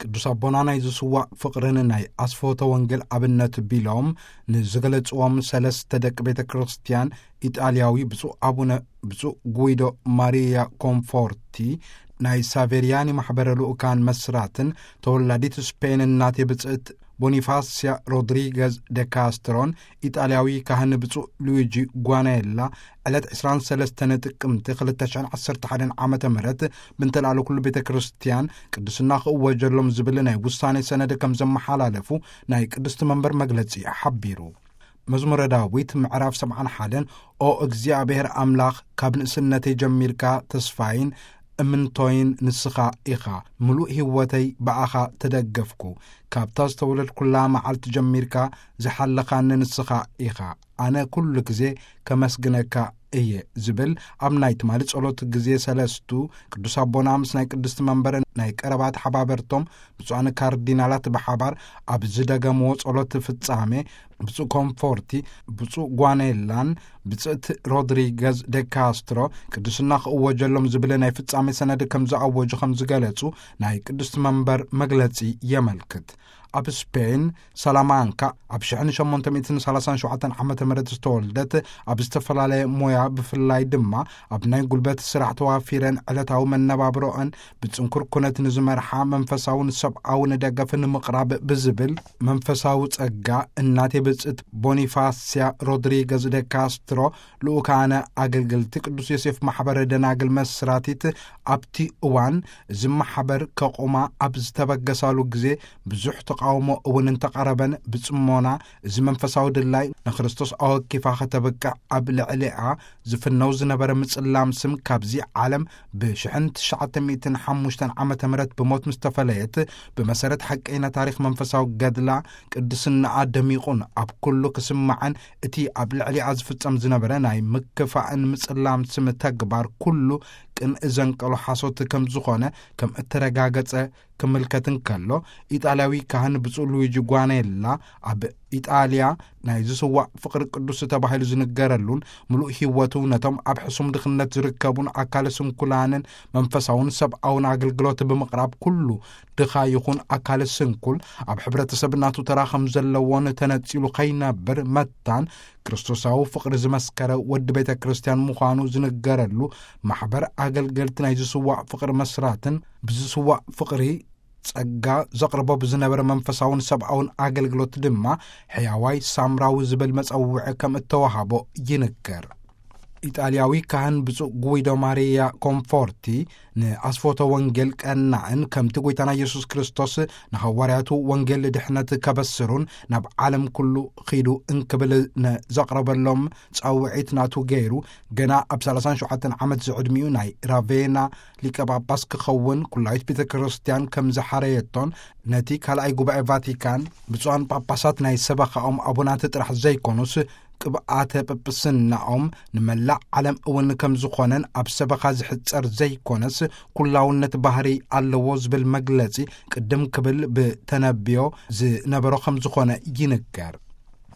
ቅዱስ ኣቦና ናይ ዝስዋዕ ፍቕርን ናይ ኣስፎተ ወንጌል ኣብነት ቢሎም ንዝገለጽዎም ሰለስተ ደቂ ቤተ ክርስቲያን፣ ኢጣልያዊ ብፁዕ ኣቡነ፣ ብፁዕ ጉይዶ ማሪያ ኮንፎርቲ፣ ናይ ሳቬሪያኒ ማሕበረ ልኡካን መስራትን ተወላዲት ስፔን እናቴ ብጽእት ቦኒፋሲያ ሮድሪገዝ ደ ካስትሮን፣ ኢጣልያዊ ካህን ብፁዕ ሉዊጂ ጓናየላ፣ ዕለት ዕስራን ሰለስተን ጥቅምቲ ክልተ ሽሕን ዓሰርተ ሓደን ዓመተ ምህረት ብንተላእለ ኩሉ ቤተ ክርስቲያን ቅድስና ክእወጀሎም ዝብል ናይ ውሳኔ ሰነድ ከም ዘመሓላለፉ ናይ ቅድስቲ መንበር መግለጺ ሓቢሩ። መዝሙረ ዳዊት ምዕራፍ ሰብዓን ሓደን፣ ኦ እግዚኣብሔር ኣምላኽ፣ ካብ ንእስነተይ ጀሚርካ ተስፋይን እምንቶይን ንስኻ ኢኻ። ምሉእ ህይወተይ ብኣኻ ተደገፍኩ። ካብታ ዝተወለድኩላ መዓልቲ ጀሚርካ ዝሓለኻኒ ንስኻ ኢኻ። ኣነ ኩሉ ግዜ ከመስግነካ እየ ዝብል ኣብ ናይ ትማሊ ጸሎት ግዜ ሰለስቱ፣ ቅዱስ ኣቦና ምስ ናይ ቅድስቲ መንበር ናይ ቀረባ ተሓባበርቶም ብፁዓን ካርዲናላት ብሓባር ኣብ ዝደገምዎ ጸሎት ፍጻሜ፣ ብፁዕ ኮንፎርቲ፣ ብፁዕ ጓኔላን ብጽእቲ ሮድሪገዝ ደ ካስትሮ ቅድስና ክእወጀሎም ዝብል ናይ ፍጻሜ ሰነድ ከም ዝኣወጁ ከም ዝገለጹ ናይ ቅድስቲ መንበር መግለጺ የመልክት። ኣብ ስፔን ሰላማንካ ኣብ ሽሕን ሸሞንተ ሚእትን ሰላሳን ሸውዓተን ዓመተ ምህረት ዝተወልደት፣ ኣብ ዝተፈላለየ ሞያ ብፍላይ ድማ ኣብ ናይ ጉልበት ስራሕ ተዋፊረን ዕለታዊ መነባብሮአን ብጽንኩር ኩነት ንዝመርሓ መንፈሳውን ሰብኣውን ደገፍ ንምቕራብ ብዝብል መንፈሳዊ ጸጋ እናቴ ብጽእት ቦኒፋሲያ ሮድሪገዝ ደ ካስትሮ ልኡካነ ኣገልገልቲ ቅዱስ ዮሴፍ ማሕበረ ደናግል መስራቲት ኣብቲ እዋን እዚ ማሕበር ከቑማ ኣብ ዝተበገሳሉ ግዜ ብዙሕ ተቃውሞ እውን እንተቐረበን ብጽሞና እዚ መንፈሳዊ ድላይ ንክርስቶስ ኣወኪፋ ከተብቅዕ ኣብ ልዕሊኣ ዝፍነው ዝነበረ ምጽላም ስም ካብዚ ዓለም ብሽሕን ትሽዓተ ሚእትን ሓሙሽተን ዓመተ ምህረት ብሞት ምስ ተፈለየት፣ ብመሰረት ሓቀይና ታሪኽ መንፈሳዊ ገድላ ቅድስናኣ ደሚቑን ኣብ ኩሉ ክስማዕን እቲ ኣብ ልዕሊኣ ዝፍጸም ዝነበረ ናይ ምክፋእን ምጽላም ስም ተግባር ኩሉ ቅንኢ ዘንቀሎ ሓሶት ከም ዝኾነ ከም እተረጋገጸ ክምልከት እንከሎ፣ ኢጣልያዊ ካህን ብፁዕ ሉዊጂ ጓኔላ ኣብ ኢጣልያ ናይ ዝስዋዕ ፍቕሪ ቅዱስ ተባሂሉ ዝንገረሉን ምሉእ ህይወቱ ነቶም ኣብ ሕሱም ድኽነት ዝርከቡን ኣካለ ስንኩላንን መንፈሳውን ሰብኣውን ኣገልግሎት ብምቕራብ ኩሉ ድኻ ይኹን ኣካለ ስንኩል ኣብ ሕብረተሰብ ናቱ ተራ ከም ዘለዎን ተነጺሉ ከይነብር መታን ክርስቶሳዊ ፍቕሪ ዝመስከረ ወዲ ቤተ ክርስቲያን ምዃኑ ዝንገረሉ ማሕበር ኣገልገልቲ ናይ ዝስዋዕ ፍቕሪ መስራትን ብዝስዋዕ ፍቕሪ ጸጋ ዘቕርቦ ብዝነበረ መንፈሳውን ሰብኣውን ኣገልግሎት ድማ ሕያዋይ ሳምራዊ ዝብል መጸውዒ ከም እተዋሃቦ ይንገር። ኢጣልያዊ ካህን ብፁዕ ጉይዶ ማሪያ ኮንፎርቲ ንኣስፎተ ወንጌል ቀናእን ከምቲ ጐይታና ኢየሱስ ክርስቶስ ንሃዋርያቱ ወንጌል ድሕነት ከበስሩን ናብ ዓለም ኩሉ ኺዱ እንክብል ንዘቕረበሎም ጻውዒት ናቱ ገይሩ፣ ገና ኣብ ሰላሳን ሸውዓተን ዓመት ዝዕድሚኡ ናይ ራቬና ሊቀ ጳጳስ ክኸውን ኩላዊት ቤተ ክርስቲያን ከም ዝሓረየቶን፣ ነቲ ካልኣይ ጉባኤ ቫቲካን ብፁዓን ጳጳሳት ናይ ሰበኻኦም ኣቡናት ጥራሕ ዘይኮኑስ ቅብኣተ ጵጵስናኦም ንመላእ ዓለም እውን ከም ዝኾነን ኣብ ሰበኻ ዝሕጸር ዘይኮነስ ኩላውነት ባህሪ ኣለዎ ዝብል መግለጺ ቅድም ክብል ብተነብዮ ዝነበሮ ከም ዝኾነ ይንገር።